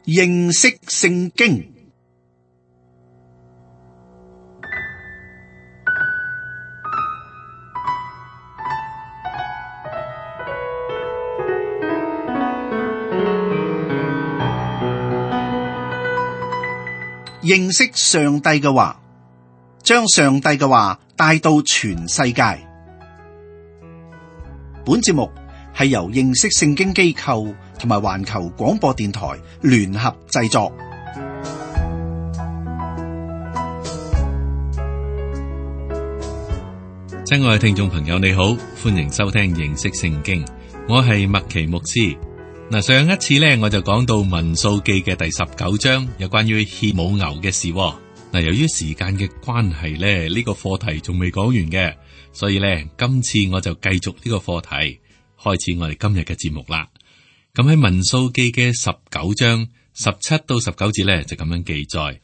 認識聖經。認識上帝嘅話，將上帝嘅話帶到全世界。本節目係由認識聖經機構同埋環球廣播電台聯合製作。親愛嘅聽眾朋友，你好，歡迎收聽認識聖經。我係麥奇牧師。嗱，上一次咧我就講到民數記嘅第19章，有關於獻母牛嘅事。嗱，由於時間嘅關係咧，呢個課題仲未講完嘅，所以咧今次我就繼續呢個課題，開始我哋今日嘅節目啦。咁喺民數記嘅19章17到19節咧就咁樣記載：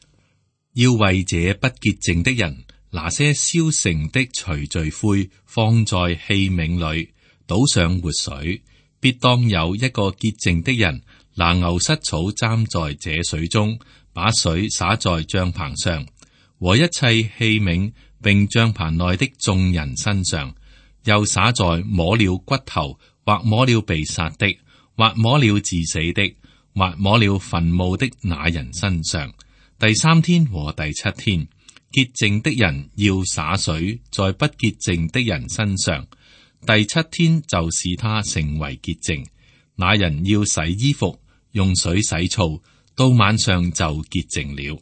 要為這不潔淨的人拿些燒成的除罪灰，放在器皿裏，倒上活水。必當有一個潔淨的人拿牛膝草蘸在這水中，把水灑在帳棚上和一切器皿，並帳棚內的眾人身上，又灑在摸了骨頭或摸了被殺的，或摸了致死的，或摸了墳墓的那人身上。第3天和第7天，潔淨的人要灑水在不潔淨的人身上。第7天就使他成為潔淨，那人要洗衣服，用水洗澡，到晚上就潔淨了。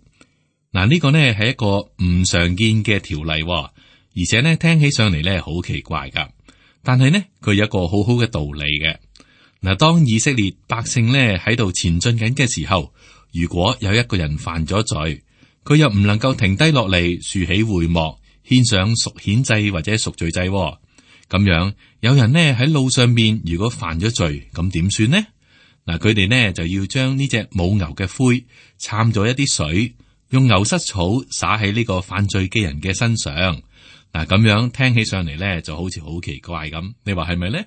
嗱，呢個呢係一個唔常見嘅條例，而且呢聽起上嚟呢好奇怪噶。但係呢佢有一個好好嘅道理嘅。嗱，當以色列百姓呢喺度前進緊嘅時候，如果有一個人犯咗罪，佢又唔能夠停低落嚟豎起會幕，獻上贖愆祭或者贖罪祭。咁樣，有人呢喺路上面，如果犯咗罪，咁點算呢？嗱，佢哋呢就要將呢隻母牛嘅灰摻咗一啲水，用牛膝草灑喺呢個犯罪嘅人嘅身上。嗱，咁樣聽起上嚟呢就好似好奇怪咁，你話係咪呢？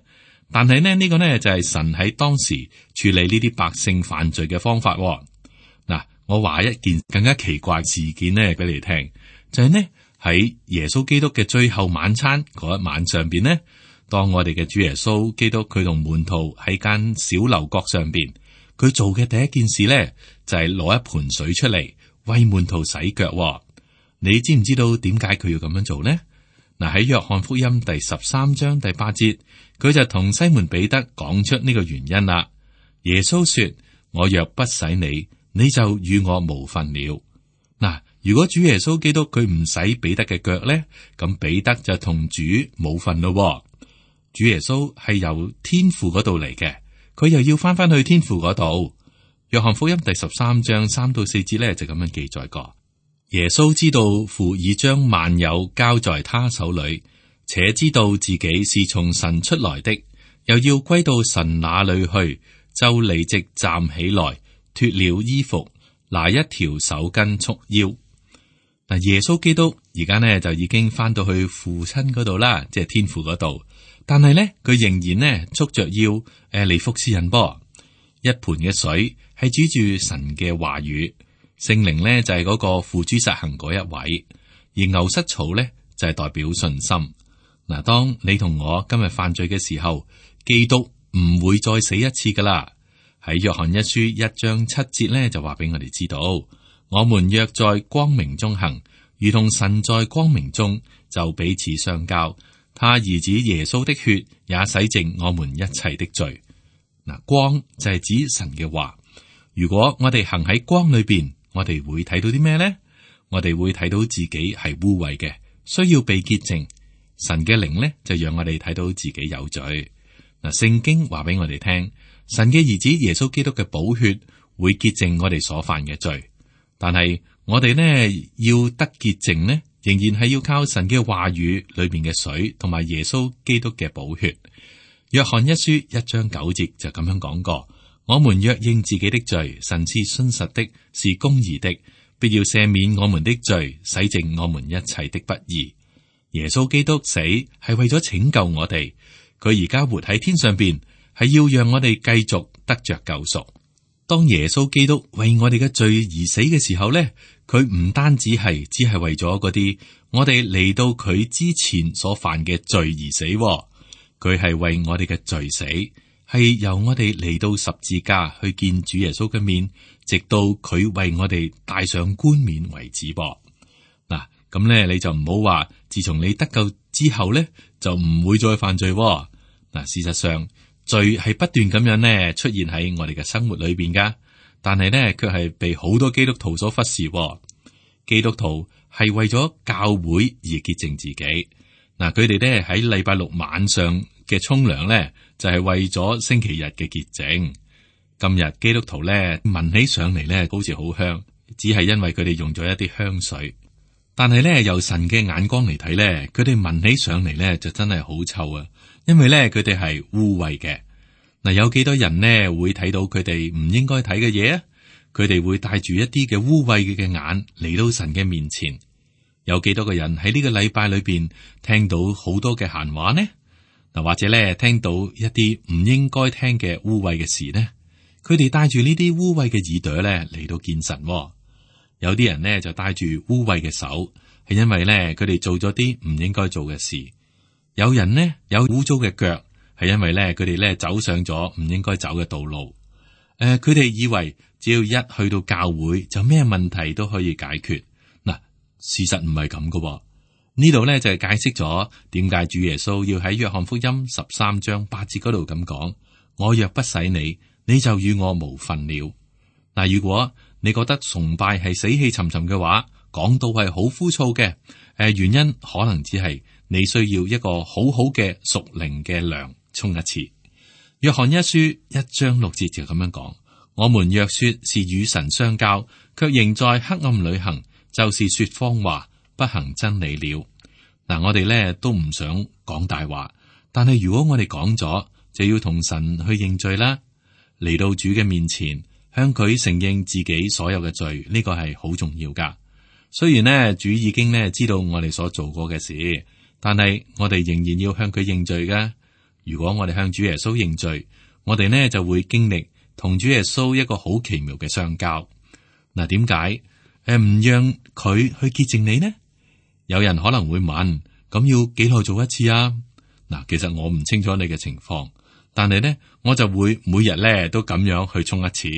但係呢，呢個呢就係神喺當時處理呢啲百姓犯罪嘅方法。嗱，我話一件更加奇怪事件呢俾你聽，就係呢。喺耶穌基督嘅最後晚餐嗰一晚上邊呢，當我哋嘅主耶穌基督佢同門徒喺間小樓閣上邊，佢做嘅第一件事呢，就係攞一盆水出嚟為門徒洗腳。你知唔知道點解佢要咁樣做呢？嗱，喺約翰福音第13章第8節，佢就同西門彼得講出呢個原因啦。耶穌說：我若不洗你，你就與我無分了。嗱。如果主耶穌基督佢唔洗彼得嘅腳咧，咁彼得就同主冇份咯。主耶穌係由天父嗰度嚟嘅，佢又要翻去天父嗰度。約翰福音第13章3到4節咧就咁樣記載過：耶穌知道父已將萬有交在他手裏，且知道自己是從神出來的，又要歸到神那裏去，就立即站起來，脫了衣服，拿一條手巾束腰。嗱，耶穌基督而家呢就已經翻到去父親嗰度啦，即係天父嗰度。但係呢，佢仍然呢束着腰嚟服侍人噃。一盆嘅水係指住神嘅話語，聖靈呢就係嗰個付諸實行嗰一位，而牛膝草呢就係代表信心。嗱，當你同我今日犯罪嘅時候，基督唔會再死一次噶啦。喺約翰一書1章7節呢就話俾我哋知道。我們若在光明中行，如同神在光明中，就彼此相交。他兒子耶穌的血也洗淨我們一切的罪。嗱，光就係指神嘅話。如果我哋行喺光裏邊，我哋會睇到啲咩呢？我哋會睇到自己係污穢嘅，需要被潔淨。神嘅靈呢，就讓我哋睇到自己有罪。嗱，聖經話俾我哋聽，神嘅兒子耶穌基督嘅寶血會潔淨我哋所犯嘅罪。但係我哋呢要得潔淨呢，仍然係要靠神嘅話語裏邊嘅水，同埋耶穌基督嘅寶血。約翰一書1章9節就咁樣講過：我們若認自己的罪，神是信實的，是公義的，必要赦免我們的罪，洗淨我們一切的不義。耶穌基督死係為咗拯救我哋，佢而家活喺天上邊，係要讓我哋繼續得着救贖。當耶穌基督為我哋嘅罪而死嘅時候咧，佢唔單止係只係為咗嗰啲我哋嚟到佢之前所犯嘅罪而死，佢係為我哋嘅罪死，係由我哋嚟到十字架去見主耶穌嘅面，直到佢為我哋戴上冠冕為止噃。嗱，咁咧你就唔好話，自從你得救之後咧，就唔會再犯罪。嗱，事實上罪係不斷咁樣咧出現喺我哋嘅生活裏邊噶，但係咧卻係被好多基督徒所忽視。基督徒係為咗教會而潔淨自己。嗱，佢哋咧喺禮拜六晚上嘅沖涼咧，就係為咗星期日嘅潔淨。今日基督徒咧聞起上嚟咧，好似好香，只係因為佢哋用咗一啲香水。但係咧由神嘅眼光嚟睇咧，佢哋聞起上嚟咧就真係好臭啊！因為咧佢哋係污穢嘅。嗱，有幾多人呢會睇到佢哋唔應該睇嘅嘢啊？佢哋會帶住一啲嘅污穢嘅眼嚟到神嘅面前。有幾多個人喺呢個禮拜裏邊聽到好多嘅閒話呢？嗱，或者咧聽到一啲唔應該聽嘅污穢嘅事呢？佢哋帶住呢啲污穢嘅耳朵咧嚟到見神。有啲人呢就帶住污穢嘅手，係因為咧佢哋做咗啲唔應該做嘅事。有人呢有污糟嘅腳，係因為咧佢哋咧走上咗唔應該走嘅道路。佢哋以為只要一去到教會就咩問題都可以解決。嗱，事實唔係咁噶。呢度咧就係解釋咗點解主耶穌要喺約翰福音13章8節嗰度咁講：我若不洗你，你就與我無分了。嗱，如果你覺得崇拜係死氣沉沉嘅話，講到係好枯燥嘅，原因可能只係你需要一個好好嘅屬靈嘅涼沖一次。約翰一書1章6節就咁樣講：我們若說是與神相交，卻仍在黑暗裏行，就是說謊話，不行真理了。嗱，我哋咧都唔想講大話，但係如果我哋講咗，就要同神去認罪啦，嚟到主嘅面前，向佢承認自己所有嘅罪，呢個係好重要噶。雖然呢，主已經呢知道我哋所做過嘅事，但係我哋仍然要向佢認罪噶。如果我哋向主耶穌認罪，我哋呢就會經歷同主耶穌一個好奇妙嘅相交。嗱，點解唔讓佢去潔淨你呢？有人可能會問：咁要幾耐做一次啊？嗱，其實我唔清楚你嘅情況，但係呢，我就會每日呢都咁樣去沖一次。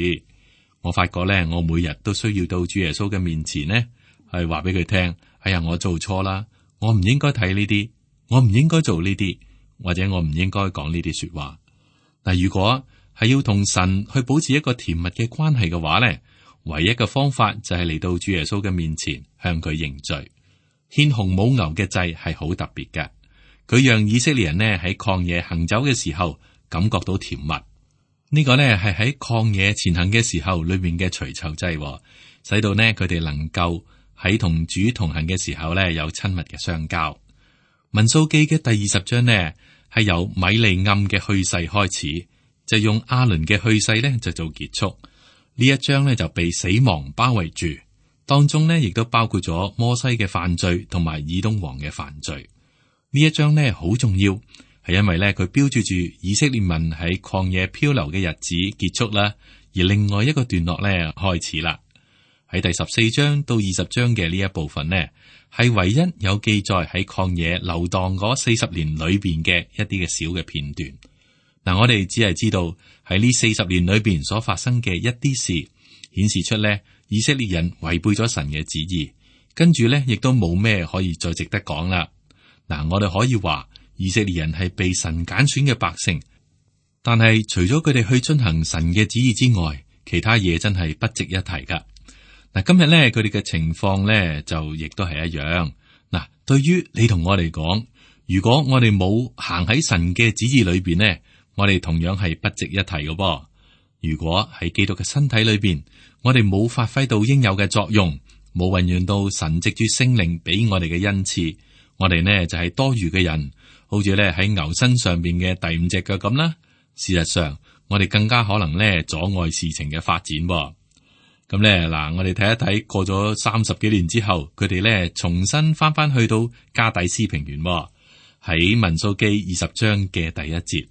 我發覺呢，我每日都需要到主耶穌嘅面前呢，係話俾佢聽：哎呀，我做錯啦，我唔應該睇呢啲，我唔應該做呢啲，或者我唔應該講呢啲說話。嗱，如果係要同神去保持一個甜蜜嘅關係嘅話呢，唯一嘅方法就係嚟到主耶穌嘅面前向佢認罪。獻紅母牛嘅祭係好特別嘅，佢讓以色列人呢喺曠野行走嘅時候感覺到甜蜜。呢個呢係喺曠野前行嘅時候裏面嘅除臭祭，使到呢佢哋能夠喺同主同行嘅時候呢有親密嘅相交。民數記嘅第20章呢係由米利暗嘅去世開始，就用亞倫嘅去世呢就做結束。呢一章呢就被死亡包圍住。當中呢，亦都包括咗摩西嘅犯罪同埋以東王嘅犯罪。呢一章呢，好重要，係因為呢，佢標誌住以色列民喺曠野漂流嘅日子結束啦，而另外一個段落呢開始啦。喺第14章到20章嘅呢一部分呢，係唯一有記載喺曠野流蕩嗰40年裏邊嘅一啲嘅小嘅片段。嗱，我哋只係知道喺呢40年裏邊所發生嘅一啲事，顯示出呢。以色列人違背咗神嘅旨意，跟住咧亦都冇咩可以再值得講啦。嗱，我哋可以話以色列人係被神揀選嘅百姓，但係除咗佢哋去遵行神嘅旨意之外，其他嘢真係不值一提噶。嗱，今日咧佢哋嘅情況咧就亦都係一樣。嗱，對於你同我嚟講，如果我哋冇行喺神嘅旨意裏邊呢，我哋同樣係不值一提嘅噃。如果喺基督嘅身體裏邊，我哋冇發揮到應有嘅作用，冇運用到神藉住聖靈俾我哋嘅恩賜，我哋呢就係多餘嘅人，好似咧喺牛身上邊嘅第5隻腳咁啦。事實上，我哋更加可能咧阻礙事情嘅發展。咁咧嗱，我哋睇一睇過咗30幾年之後，佢哋咧重新翻去到加底斯平原。喺民數記20章嘅第1節，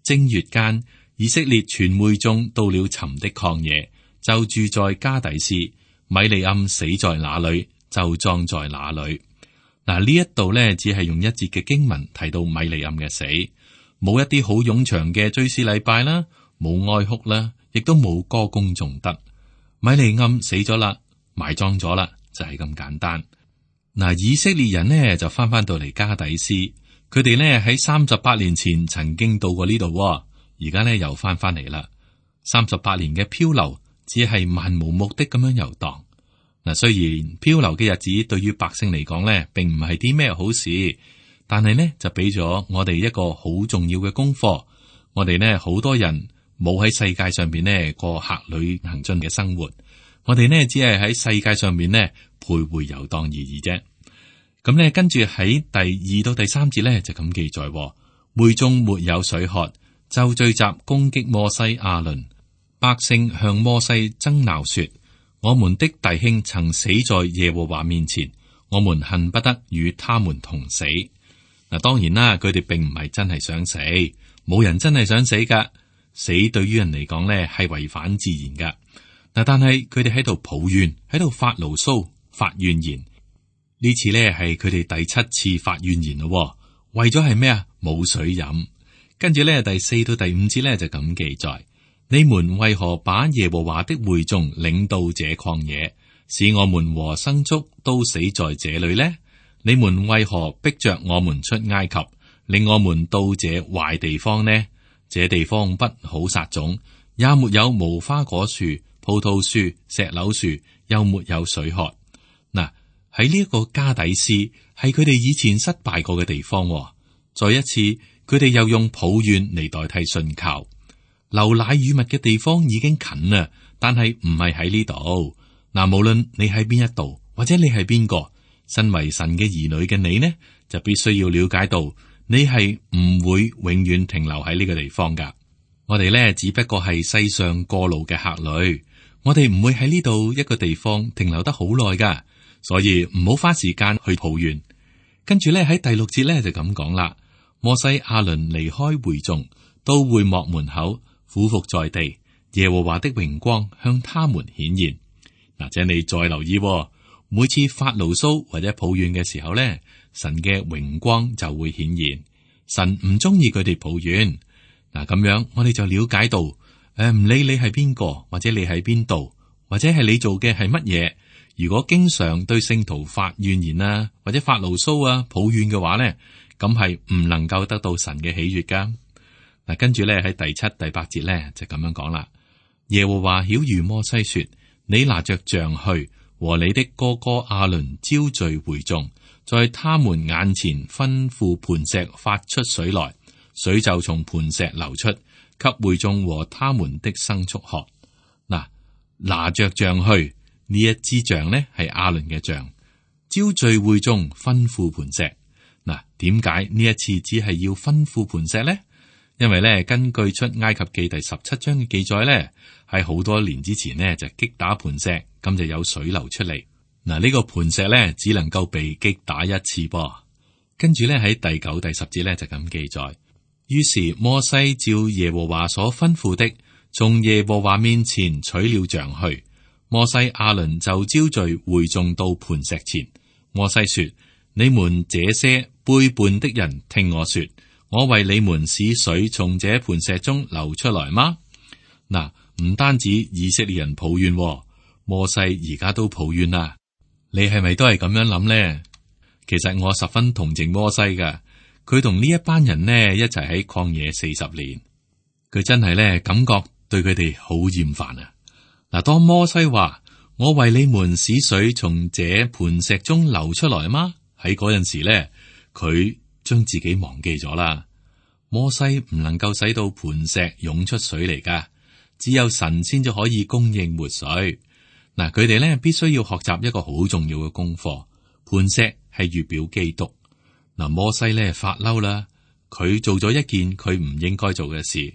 正月間，以色列全會眾到了尋的曠野，就住在加底斯。米利暗死在哪裏，就葬在哪裏。嗱，呢一度呢，只係用一節嘅經文提到米利暗嘅死，冇一啲好冗長嘅追思禮拜啦，冇哀哭啦，亦都冇歌功頌德。米利暗死咗啦，埋葬咗啦，就係咁簡單。嗱，以色列人呢就翻到嚟加底斯，佢哋呢喺38年前曾經到過呢度，而家呢又翻嚟啦。38年嘅漂流，只係漫無目的咁樣遊蕩。嗱，雖然漂流嘅日子對於百姓嚟講呢，並唔係啲咩好事，但係呢就俾咗我哋一個好重要嘅功課。我哋呢好多人冇喺世界上邊呢過客旅行進嘅生活，我哋呢只係喺世界上面呢徘徊遊蕩而已啫。咁呢跟住喺第2到第3節呢就咁記載，會中沒有水喝，就聚集攻擊摩西亞倫。百姓向摩西爭鬧說：我們的弟兄曾死在耶和華面前，我們恨不得與他們同死。嗱，當然啦，佢哋並唔係真係想死，冇人真係想死噶。死對於人嚟講呢係違反自然噶。嗱，但係佢哋喺度抱怨，喺度發牢騷、發怨言。呢次呢係佢哋第7次發怨言咯。為咗係咩啊？冇水飲。跟住呢第4到第5節呢就咁記載：你們為何把耶和華的會眾領到這曠野，使我們和牲畜都死在這裏呢？你們為何逼着我們出埃及，令我們到這壞地方呢？這地方不好撒種，也沒有無花果樹、葡萄樹、石榴樹，又沒有水喝。嗱，喺呢一個加底斯係佢哋以前失敗過嘅地方。再一次，佢哋又用抱怨嚟代替信靠。流奶與蜜嘅地方已經近啦，但係唔係喺呢度。嗱，無論你喺邊一度，或者你係邊個，身為神嘅兒女嘅你呢，就必須要了解到，你係唔會永遠停留喺呢個地方噶。我哋呢，只不過係世上過路嘅客旅，我哋唔會喺呢度一個地方停留得好耐噶，所以唔好花時間去抱怨。跟住呢，喺第6節呢，就咁講啦。摩西亞倫離開會眾，到會幕門口俯伏在地，耶和華的榮光向他們顯現。嗱，請你再留意，每次發牢騷或者抱怨嘅時候呢，神嘅榮光就會顯現。神唔中意佢哋抱怨。嗱，咁樣我哋就了解到，唔理你係邊個，或者你喺邊度，或者係你做嘅係乜嘢，如果經常對聖徒發怨言啊，或者發牢騷啊、抱怨嘅話呢，咁係唔能夠得到神嘅喜悅噶。嗱，跟住咧喺第7、第8節咧就咁樣講啦。耶和華曉諭摩西說：你拿着杖去，和你的哥哥亞倫招聚會眾，在他們眼前吩咐磐石發出水來，水就從磐石流出，給會眾和他們的牲畜喝。嗱，拿着杖去，呢一支杖呢係亞倫嘅杖，招聚會眾，吩咐磐石。嗱，點解呢一次只係要吩咐磐石呢？因為咧，根據出埃及記第17章嘅記載咧，喺好多年之前呢，就擊打磐石，咁就有水流出嚟。嗱，呢個磐石咧只能夠被擊打一次噃。跟住咧喺第9、第10節咧就咁記載。於是摩西照耶和華所吩咐的，從耶和華面前取了杖去。摩西亞倫就招聚會眾到磐石前。摩西說：你們這些背叛的人，聽我說。我為你們使水從這磐石中流出來嗎？嗱，唔單止以色列人抱怨，摩西而家都抱怨啦。你係咪都係咁樣諗呢？其實我十分同情摩西噶，佢同呢一班人呢一齊喺曠野40年，佢真係咧感覺對佢哋好厭煩啊！嗱，當摩西話我為你們使水從這磐石中流出來嗎？喺嗰陣時咧，佢將自己忘記咗啦。摩西唔能夠使到磐石湧出水嚟噶，只有神先至可以供應活水。嗱，佢哋咧必須要學習一個好重要嘅功課。磐石係預表基督。嗱，摩西咧發嬲啦，佢做咗一件佢唔應該做嘅事，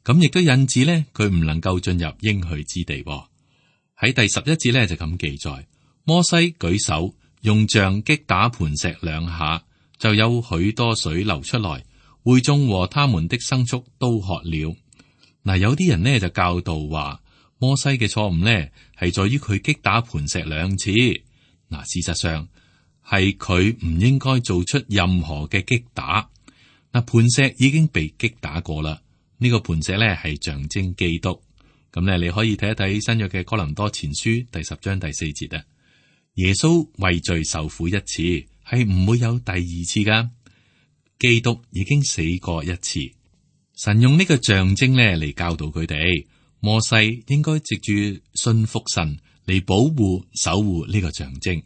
咁亦都引致咧佢唔能夠進入應許之地。喺第11節咧就咁記載，摩西舉手用杖擊打磐石2下。就有許多水流出來，會眾和他們的牲畜都喝了。嗱，嗱，有啲人呢就教導話，摩西嘅錯誤呢係在於佢擊打磐石2次。嗱，事實上係佢唔應該做出任何嘅擊打。嗱，磐石已經被擊打過啦。呢個磐石呢係象徵基督。咁呢，你可以睇一睇新約嘅哥林多前書第10章第4節啊。耶穌為罪受苦一次，係唔會有第2次噶。基督已經死過一次。神用呢個象徵呢嚟教導佢哋，摩西應該藉住信服神嚟保護守護呢個象徵。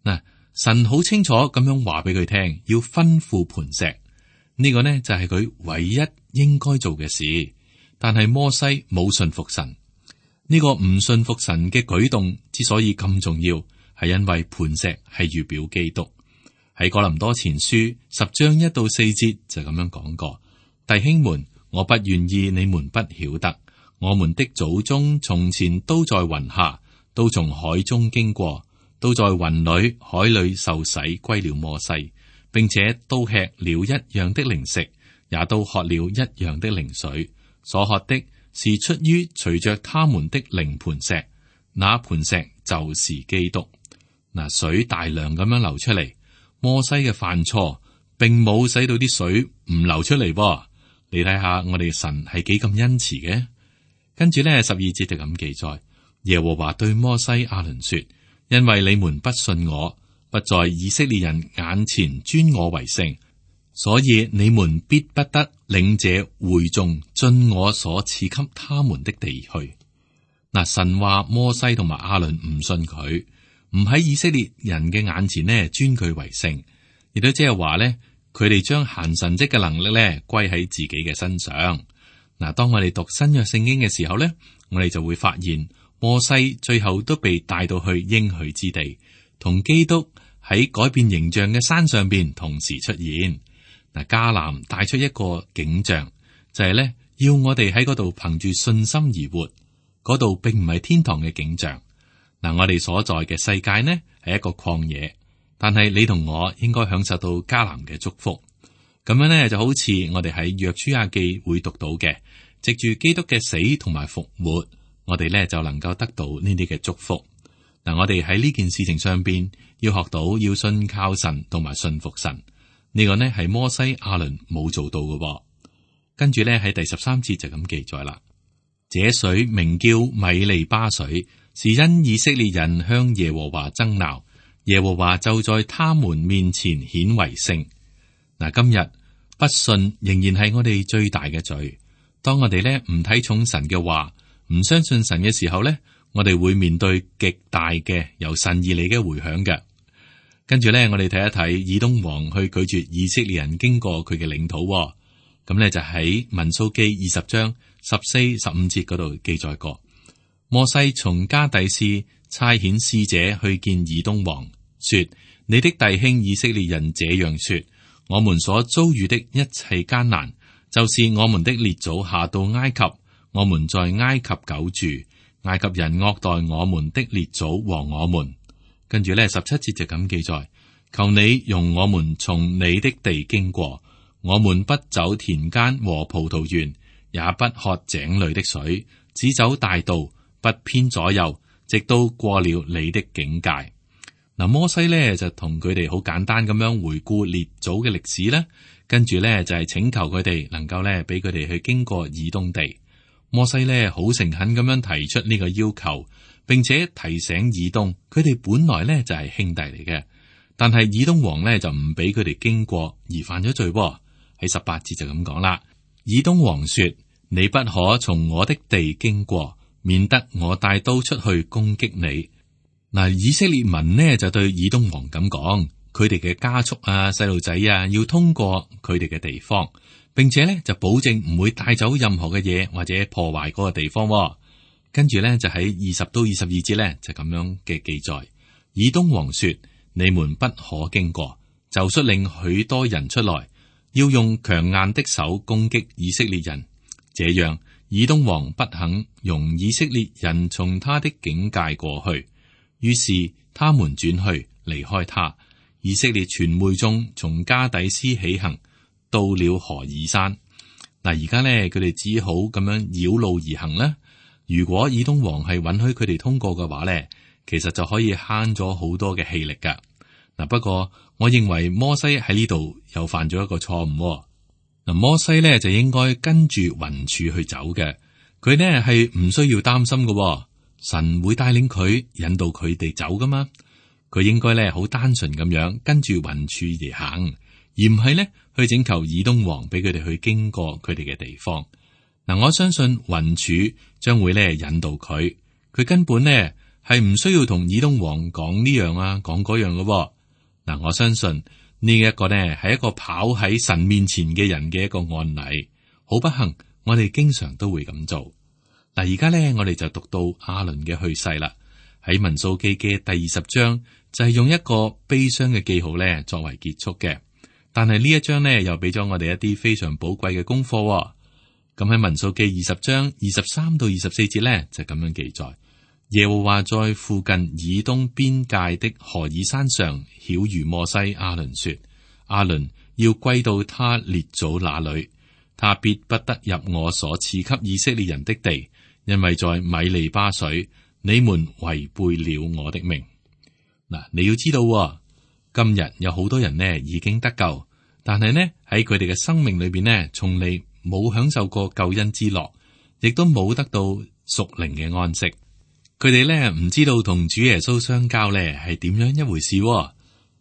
嗱，神好清楚咁樣話俾佢聽，要吩咐磐石。呢個呢就係佢唯一應該做嘅事。但係摩西冇信服神。呢個唔信服神嘅舉動之所以咁重要，係因為磐石係預表基督。喺哥林多前書10章1到4節就咁樣講過：弟兄們，我不願意你們不曉得，我們的祖宗從前都在雲下，都從海中經過，都在雲裏海裏受洗歸了摩西，並且都吃了一樣的靈食，也都喝了一樣的靈水。所喝的是出於隨着他們的靈磐石，那磐石就是基督。嗱，水大量咁樣流出嚟，摩西嘅犯錯並冇使到啲水唔流出嚟噃。你睇下我哋神係幾咁恩慈嘅。跟住呢12節就咁記載，耶和華對摩西亞倫說：因為你們不信我，不在以色列人眼前尊我為聖，所以你們必不得領這會眾進我所賜給他們的地去。嗱，神話摩西同埋亞倫唔信佢，唔喺以色列人嘅眼前呢尊佢為聖，亦都即係話呢，佢哋將行神蹟嘅能力呢歸喺自己嘅身上。嗱，當我哋讀新約聖經嘅時候呢，我哋就會發現摩西最後都被帶到去應許之地，同基督喺改變形象嘅山上邊同時出現。嗱，迦南帶出一個景象，就係咧要我哋喺嗰度憑住信心而活。嗰度並唔係天堂嘅景象。嗱，我哋所在嘅世界呢係一個曠野，但係你同我應該享受到迦南嘅祝福。咁樣呢就好似我哋喺約書亞記會讀到嘅，藉住基督嘅死同埋復活，我哋呢就能夠得到呢啲嘅祝福。嗱，我哋喺呢件事情上邊要學到要信靠神同埋信服神。呢個呢係摩西亞倫冇做到嘅。跟住呢喺第13節就咁記載啦。這水名叫米利巴水，是因以色列人向耶和華爭鬧，耶和華就在他們面前顯為聖。嗱，今日不信仍然係我哋最大嘅罪。當我哋呢唔睇重神嘅話，唔相信神嘅時候呢，我哋會面對極大嘅由神而嚟嘅回響嘅。跟住呢，我哋睇一睇以東王去拒絕以色列人經過佢嘅領土。咁呢就喺民數記20章14、15節嗰度記載過。摩西從加第斯差遣使者去見以東王，說：你的弟兄以色列人這樣說，我們所遭遇的一切艱難，就是我們的列祖下到埃及，我們在埃及久住，埃及人惡待我們的列祖和我們。跟住呢17節就咁記載：求你容我們從你的地經過，我們不走田間和葡萄園，也不喝井裏的水，只走大道，不偏左右，直到過了你的境界。嗱，摩西呢就同佢哋好簡單咁樣回顧列祖嘅歷史啦，跟住呢就係請求佢哋能夠呢俾佢哋去經過以東地。摩西呢好誠懇咁樣提出呢個要求，並且提醒以東，佢哋本來呢就係兄弟嚟嘅，但係以東王呢就唔俾佢哋經過而犯咗罪。喺18節就咁講啦。以東王說：你不可從我的地經過，免得我帶刀出去攻擊你。嗱，以色列民呢就對以東王咁講，佢哋嘅家畜啊、細路仔啊要通過佢哋嘅地方，並且呢就保證唔會帶走任何嘅嘢或者破壞嗰個地方。跟住呢就喺20到22節呢就咁樣嘅記載。以東王說：你們不可經過，就率領許多人出來，要用強硬的手攻擊以色列人。這樣，以東王不肯容以色列人從他的境界過去，於是他們轉去離開他。以色列全會眾從加底斯起行，到了何珥山。而家咧，佢哋只好咁樣繞路而行啦。如果以東王係允許佢哋通過嘅話咧，其實就可以慳咗好多嘅氣力噶。不過我認為摩西喺呢度又犯咗一個錯誤。摩西咧就應該跟住雲柱去走嘅，佢呢係唔需要擔心嘅。神會帶領佢引導佢哋走噶嘛。佢應該咧好單純咁樣跟住雲柱而行，而唔係咧去請求以東王俾佢哋去經過佢哋嘅地方。我相信雲柱將會咧引導佢，佢根本呢係唔需要同以東王講呢樣啊，講嗰樣嘅。我相信呢一個呢係一個跑喺神面前嘅人嘅一個案例。好不幸，我哋經常都會咁做。而家呢，我哋就讀到亞倫嘅去世啦。喺民數記嘅第20章就係用一個悲傷嘅記號呢作為結束嘅。但係呢一章呢又俾咗我哋一啲非常寶貴嘅功課。咁喺民數記20章23到24節呢就咁樣記載：耶和華在附近以東邊界的何珥山上曉諭摩西亞倫說：亞倫要歸到他列祖那裏，他必不得入我所賜給以色列人的地，因為在米利巴水你們違背了我的命。你要知道，今日有好多人呢已經得救，但係呢喺佢哋嘅生命裏邊呢，從嚟冇享受過救恩之樂，亦都冇得到屬靈嘅安息。佢哋呢唔知道同主耶穌相交呢係點樣一回事，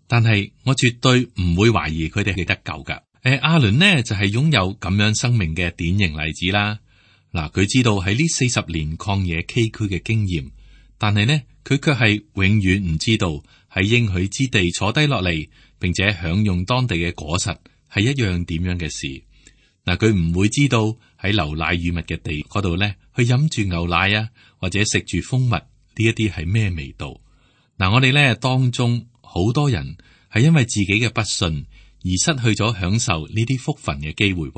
但係我絕對唔會懷疑佢哋係得救噶。亞倫呢就係擁有咁樣生命嘅典型例子啦。佢知道喺呢40年曠野崎嶇嘅經驗，但係呢佢卻係永遠唔知道喺應許之地坐低落嚟，並且享用當地嘅果實係一樣點樣嘅事。佢唔會知道喺流奶與蜜嘅地嗰度呢，去飲住牛奶啊，或者食住蜂蜜呢一啲係咩味道？我哋呢當中好多人係因為自己嘅不信而失去咗享受呢啲福分嘅機會。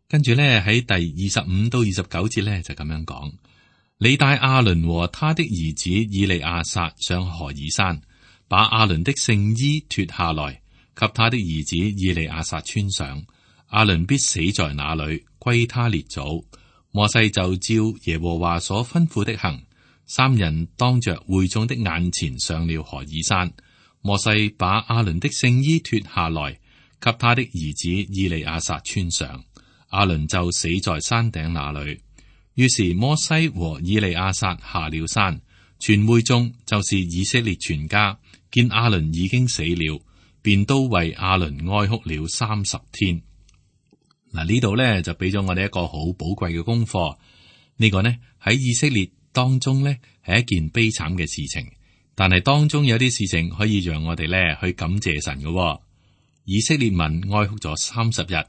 跟住呢喺第25到29節呢就咁樣講：你帶亞倫和他的兒子以利亞撒上何珥山，把亞倫的聖衣脫下來，給他的兒子以利亞撒穿上。亞倫必死在那裏，歸他列祖。摩西就照耶和華所吩咐的行，三人當着會眾的眼前上了何珥山。摩西把亞倫的聖衣脫下來，給他的兒子以利亞撒穿上。亞倫就死在山頂那裏。於是摩西和以利亞撒下了山，全會眾就是以色列全家見亞倫已經死了，便都為亞倫哀哭了30天。呢度呢就俾咗我哋一個好寶貴嘅功課。呢個呢喺以色列當中呢係一件悲慘嘅事情，但係當中有啲事情可以讓我哋呢去感謝神嘅。以色列民哀哭咗30日，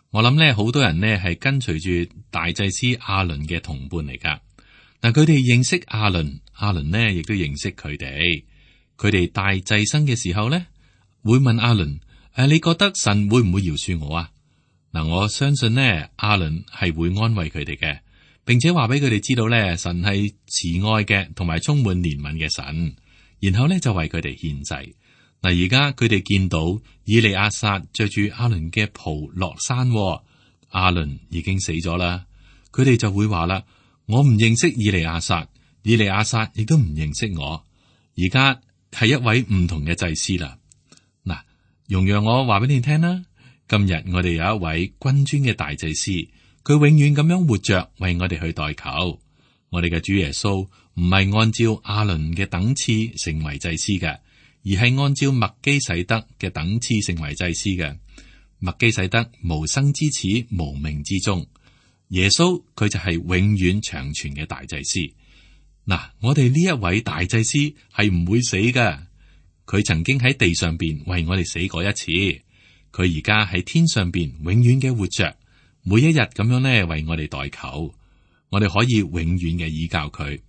我諗呢好多人呢係跟隨住大祭司亞倫嘅同伴嚟噶。佢哋認識亞倫，亞倫呢亦都認識佢哋。佢哋帶祭牲嘅時候呢，會問亞倫：你覺得神會唔會饒恕我啊？我相信呢，亞倫係會安慰佢哋嘅，並且話俾佢哋知道呢，神係慈愛嘅，同埋充滿憐憫嘅神。然後呢，就為佢哋獻祭。而家佢哋見到以利亞撒着住亞倫嘅袍落山，亞倫已經死咗啦。佢哋就會話啦：我唔認識以利亞撒，以利亞撒亦都唔認識我。而家係一位唔同嘅祭司啦。容讓我話俾你聽啦。今日我哋有一位君尊嘅大祭司，佢永遠咁樣活着，為我哋去代求。我哋嘅主耶穌唔係按照亞倫嘅等次成為祭司嘅，而係按照麥基洗德嘅等次成為祭司嘅。麥基洗德無生之始，無命之終。耶穌佢就係永遠長存嘅大祭司。我哋呢一位大祭司係唔會死嘅。佢曾經喺地上邊為我哋死過一次。佢而家喺天上邊永遠嘅活着，每一日咁樣咧為我哋代求，我哋可以永遠嘅依靠佢。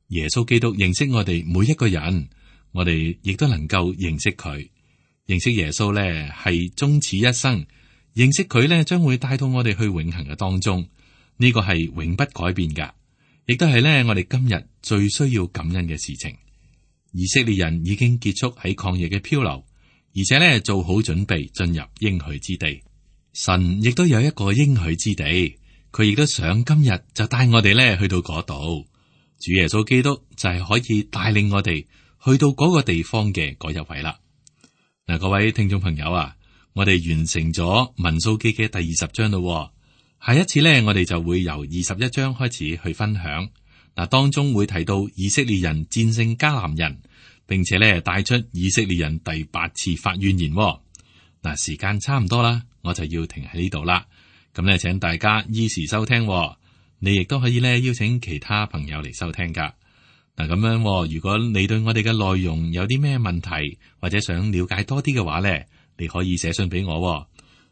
耶穌基督認識我哋每一個人，我哋亦都能夠認識佢。認識耶穌咧係終此一生，認識佢咧將會帶到我哋去永恆嘅當中，呢個係永不改變噶，亦都係咧我哋今日最需要感恩嘅事情。以色列人已經結束喺曠野嘅漂流。而且咧做好準備進入應許之地，神亦都有一個應許之地，佢亦都想今日就帶我哋咧去到嗰度。主耶穌基督就係可以帶領我哋去到嗰個地方嘅嗰一位啦。嗱，各位聽眾朋友啊，我哋完成咗民數記嘅第20章咯。下一次咧，我哋就會由21章開始去分享。嗱，當中會提到以色列人戰勝迦南人，並且咧帶出以色列人第8次發怨言。嗱，時間差唔多啦，我就要停喺呢度啦。咁咧，請大家依時收聽。你亦都可以咧邀請其他朋友嚟收聽噶。嗱，咁樣，如果你對我哋嘅內容有啲咩問題，或者想了解多啲嘅話咧，你可以寫信俾我。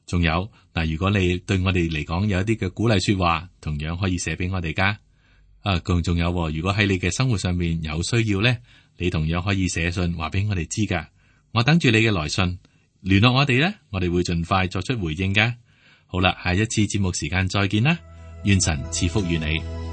仲有嗱，如果你對我哋嚟講有一啲嘅鼓勵說話，同樣可以寫俾我哋噶。仲有，如果喺你嘅生活上面有需要咧，你同樣可以寫信話俾我哋知噶。我等住你嘅來信，聯絡我哋咧，我哋會盡快作出回應噶。好啦，下一次節目時間再見啦，願神賜福於你。